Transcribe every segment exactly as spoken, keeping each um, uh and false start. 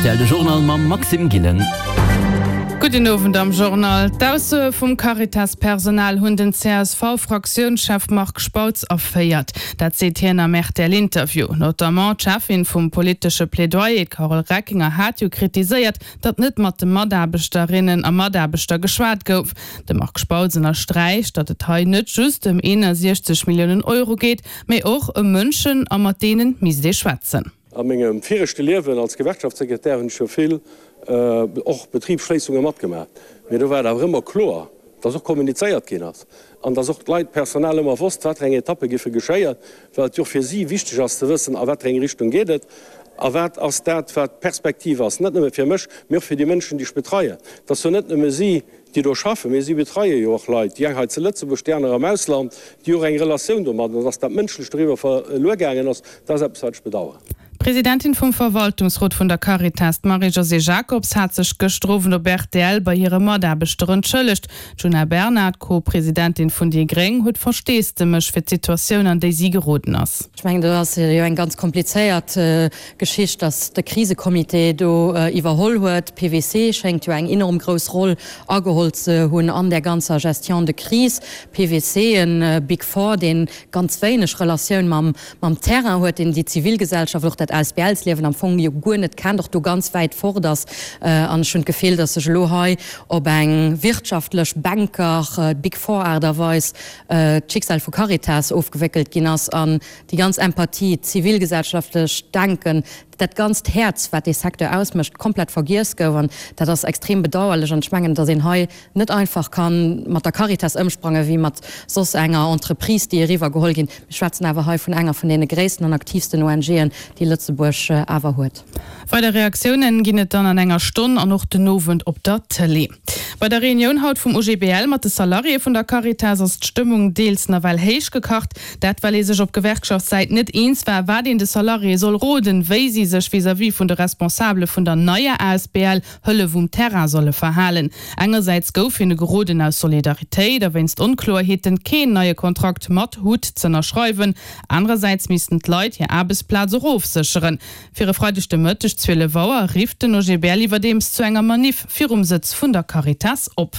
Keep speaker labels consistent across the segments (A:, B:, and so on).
A: R T L de Journal mam Maxime Gillen.
B: Gudden Owend am Journal. D'Aussoe vum Caritas-Personal hunn den C S V-Fraktiounschef Marc Spautz erféiert. Dat seet hien am R T L-Interview. Notamment d'Cheffin vum politesche Plädoyer, d'Carole Reckinger, hat jo kritiséiert, datt net mat de Mataarbechterinnen a Mataarbechter geschwat gouf. De Marc Spautz ënnersträicht, datt et hei net just ëm eenundsechzeg Milliounen Euro geet, mee och ëm Mënschen a mat deene misst ee schwätzen.
C: A mengem viregte Liewen als Gewerkschaftssekretär hunn ech jo vill och Betribsschléissunge matgemaach. Mee do war et awer ëmmer kloer, dass och kommunizéiert ginn ass an dass och d'Leit, d'Personal ëmmer wosst, wat fir eng Etappe giffe geschéien, well et jo och fir si wichteg ass ze wëssen, a wat fir eng Richtung geet et a wat ass dat, wat d'Perspektiv ass, net nëmme fir mech, mee och fir déi Mënschen, déi ech betreien. Et ass jo net nëmme si, déi do schaffen, mee si betreie jo och Leit, déi eng hei zu Lëtzebuerg, déi aner am Ausland, déi och eng Relatioun domadden, an dass dat Mënschlecht doriwwer verluer gaangen ass, dat ass eppes, wat ech bedauern.
B: D'Presidentin vum Verwaltungsrot vun der Caritas, d'Marie-Josée Jacobs, hat sech gëschter Owend op R T L bei hire Mataarbechter entschëllegt. D'Djuna Bernard, Co-Presidentin vun déi Gréng, huet Versteesdemech fir d'Situatioun, an déi si geroden ass.
D: Ech mengen, do ass jo eng ganz komplizéiert Geschicht, datt de Krisecomité do iwwerholl huet. P W C schéngt jo eng enorm grouss Roll ageholl ze hunn an där ganzer Gestion de crise. P W C, e Big Four, dee ganz wéineg Relatioun mam mam Terrain huet, deen déi Zivilgesellschaft, och dat A S B L-Liewen am Fong jo guer net kennt, och do ganz wäit fort ass. An ech hunn d'Gefill, datt sech elo hei op eng wirtschaftlech Banker Big Four Aart a Weis d'Schicksal vu Caritas ofgewéckelt ginn ass an déi ganz Empathie, d'zivilgesellschaftlech Denken, dat ganzt Häerz, wat dee Secteur ausmécht, komplett vergiess gouf. An dat ass extrem bedauerlech. An ech mengen, datt een hei net einfach ka mat der Caritas ëmsprange wéi mat soss enger Entreprise, déi eriwwergeholl ginn. Mir schwätzen awer hei vun enger vun deene gréissten an aktiivsten O N Gen, déi Lëtzebuerg awer huet.
B: Weider Reaktiounen ginn et dann an enger Stonn an och den Owend op der Tëlee. Bei der Reunioun haut vum U G B L mat de Salariéë vun der Caritas ass d'Stëmmung deels nawell héich gekacht. Dat well ee sech op Gewerkschaftssäit net eens war, wat een de Salariéë soll roden, wéi si sech vis-à-vis vun de Responsabele vun der neier A S B L Hëllef um Terrain solle verhalen. Engersäits gouf hinne geroden, aus Solidaritéit a wéinst Onkloerheeten keen neie Kontrakt mat H U T z'ënnerschreiwen. Anerersäits missten d'Leit hir Aarbechtsplaz och ofsécheren. Fir e Freideg de Mëtteg zwielef Auer rifft den O G B L iwwerdeems zu enger Manif virum Sëtz vun der Caritas op.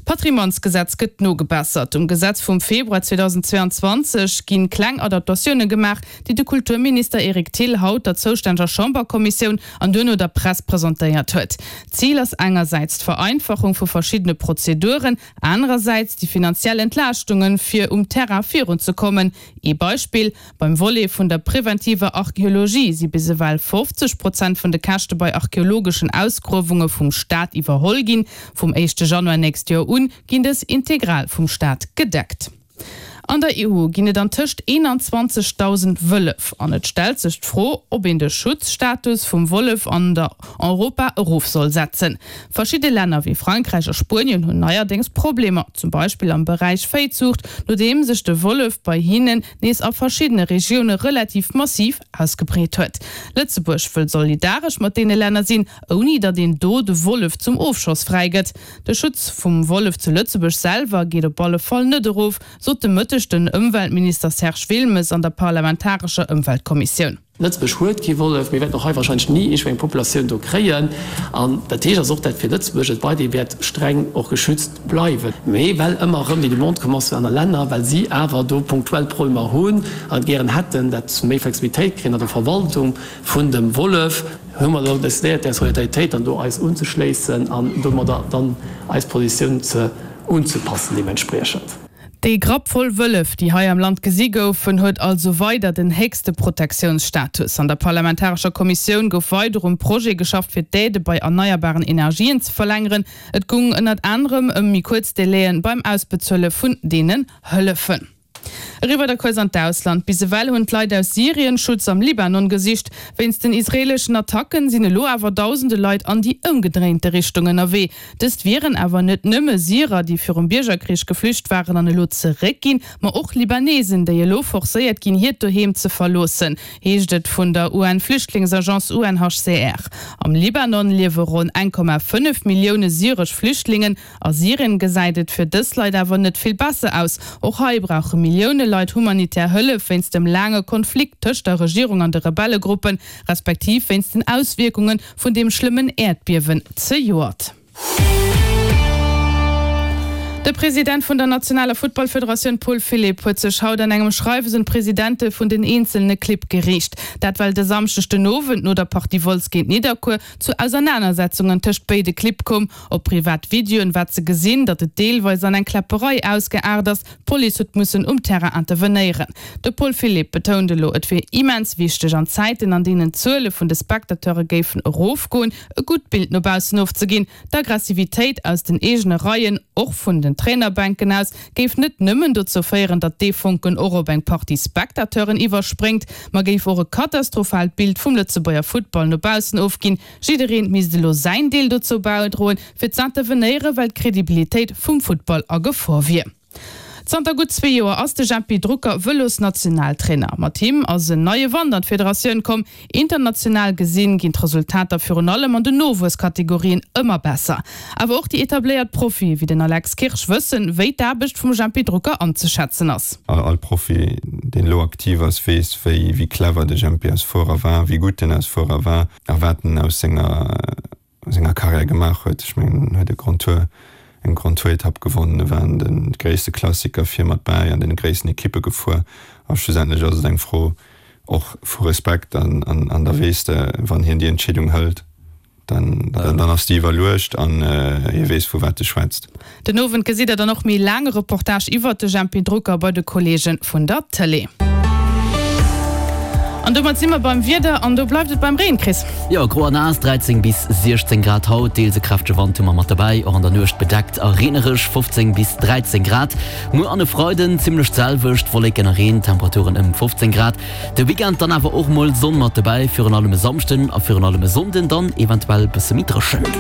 B: D'Patrimoinesgesetz gëtt nogebessert. Um Gesetz vum Februar zweedausendzweeanzwanzeg ginn kleng Adaptatioune gemaach, déi de Kulturminister Eric Thill haut der zoustänneger Chamberkommissioun an duerno der Press presentéiert huet. Zil ass engersäits d'Vereinfachung vu verschiddene Prozeduren, anerersäits déi finanziell Entlaaschtunge fir um Terrain virunzekommen. Ee Beispill, Beim Volet vun der preventiver Archeologie si bis ewell fofzeg Prozent vun de Käschte bei archeologeschen Ausgruewunge vum Staat iwwerholl ginn. Vum éischte Januar nächst Joer un ginn dës integral vum Staat gedeckt. An der E U ginn et antëscht eenanzwanzegdausend Wëllef an et stellt sech d'Fro, ob een de Schutzstatus vum Wollef an der Europa erof soll setzen. Verschidde Länner wéi Frankräich a Spuenien hunn neierdéngs Problemer, zum Beispill am Beräich Véizuucht, nodeem sech de Wollef bei hinnen nees a verschiddene Regioune relativ massiv ausgebreet huet. Lëtzebuerg wëll solidaresch mat deene Länner sinn, ouni datt een do de Wollef zum Ofschoss fräigëtt. De Schutz vum Wollef zu Lëtzebuerg selwer geet op alle Fall net erof, sot de Mëtteg den Ëmweltminister Serge Wilmes an der parlamentarescher Ëmweltkommissioun.
E: Lëtzebuerg huet kee Wollef, mir wäerten och hei warscheinlech ni iergendwéi eng Populatioun do kréien. An dat heescht also och, dat fir Lëtzebuerg et weiderhi wäert streng och geschützt bleiwen. Mee well ëmmer erëm déi Demande komm ass vun aner Länner, well si awer do punktuell Problemer hunn an et gären hätten, dat se méi Flexibilitéit kréien an der Verwaltung vun dem Wollef, hu mer elo decidéiert, där Solidaritéit dann do eis unzeschléissen an domadder dann eis Positioun ze unzepassen deementspriechend.
B: Déi Grapp voll Wëllef, déi hei am Land gesi goufen, huet also weider den héchste Protektiounsstatus. An der parlamentarescher Kommissioun gouf weider um Projet geschafft, fir d'Aidë bei erneierbaren Energien ze verlängeren. Et goung ënnert anerem ëm méi kuerz Delaien beim Ausbezuele vun deenen Hëllefen. Eriwwer da kuerz an d'Ausland. Bis ewell hunn d'Leit aus Syrien Schutz am Libanon gesicht. Wéinst den israeeleschen Attacken sinn elo awer dausende Leit an déi ëmgedréinte Richtung ënnerwee. Dëst wieren awer net nëmme Syrer, déi virum Biergerkrich geflücht waren an elo zeréckginn, ma och Libanesen, déi elo forcéiert ginn, hiert Doheem ze verloossen, heescht et vun der U N-Flüchtlingsagence U N H C R. Am Libanon liewe ronn eng Komma fënnef Millioune syresch Flüchtlingen. A Syrien gesäit et fir dës Leit awer net vill besser aus. Och hei brauche Millioune Millioune Leit humanitär Hëllef wéinst dem laange Konflikt tëscht der Regierung an de Rebellegruppen, respektiv wéinst den Auswierkunge vun deem schlëmmen Äerdbiewen zejoert. De President vun der nationaler Futtballfederatioun Paul Philipp huet sech haut an engem Schreiwes un d'Presidente vun den eenzelne Clibb geriicht. Dat well de Samschdeg den Owend no der Partie Wolz géint Nidderkuer zu Ausernanersetzungen tëscht béide Clibb koum. Op privat Videoen war ze gesinn, datt et deelweis an eng Kläpperei ausgeaart ass. D'Police huet mussen um Terrain intervenéieren. De Paul Philipp betount elo, et wier immens wichteg an Zäiten, an deenen d'Zuele vun de Spectateure géifen erofgoen, e gutt Bild no baussen ofzeginn. D'Aggressivitéit aus den eegene Reien, och vun den Trainerbänken aus, géif net nëmmen dozou féieren, datt dee Fonken och op eng Partie Spectateuren iwwerspréngt, ma géif och e katastrophaalt Bild vum Lëtzebuerger Futtball no baussen ofginn. Jiddereen misst elo säin Deel dozou bäidroen, fir z'intervenéieren, well d'Credibilitéit vum Futtball a Gefor wier. Zanter gutt zwee Joer ass de Jempy Drucker Vëlosnationaltrainer. Mat him ass en neie Wand an d'Federatioun komm. International gesinn ginn d'Resultater virun allem an den Nowuesskategorien ëmmer besser. Awer och déi etabléiert Profie wéi den Alex Kirsch wëssen, wéi d'Aarbecht vum Jempy Drucker anzeschätzen ass.
F: All Profi, deen elo aktiv ass, weess, wéi wéi clever de Jempy als Fuerer war, wéi gutt en als Fuerer war a wat en aus senger senger Karriär gemaach huet. Ech mengen, en huet e Grand Tour, eng Grand Tour Etapp gewonnen, e war an de gréisste Klassiker vir mat bäi, an deene gréissten Ekippe gefuer a schlussendlech ass et eng Fro och vu Respekt an an da weess de, wann hien déi Entscheedung hëlt, dann dann ass déi iwwerluecht an hie weess vu wat e schwätzt.
B: Den Owend gesitt der dann och méi laange Reportage iwwert de Jempy Drucker bei de Kolleege vun der Tëlee. An domat si mer beim Wieder an do bleift et beim Reen, Chris.
A: Jo, gro a naass, dräizéng bis siechzéng Grad haut, deels e kräftege Wand hu mer mat derbäi, och an der Nuecht bedeckt a reenereg, fofzéng bis dräizéng Grad. Muer an e Freiden zimmlech d'selwecht, Wolleken a Reen, Temperaturen ëm fofzéng Grad. De Weekend dann awer och mol Sonn mat dobäi, virun allem e Samschden a virun allem e Sonnden dann eventuell bësse méi dréchen.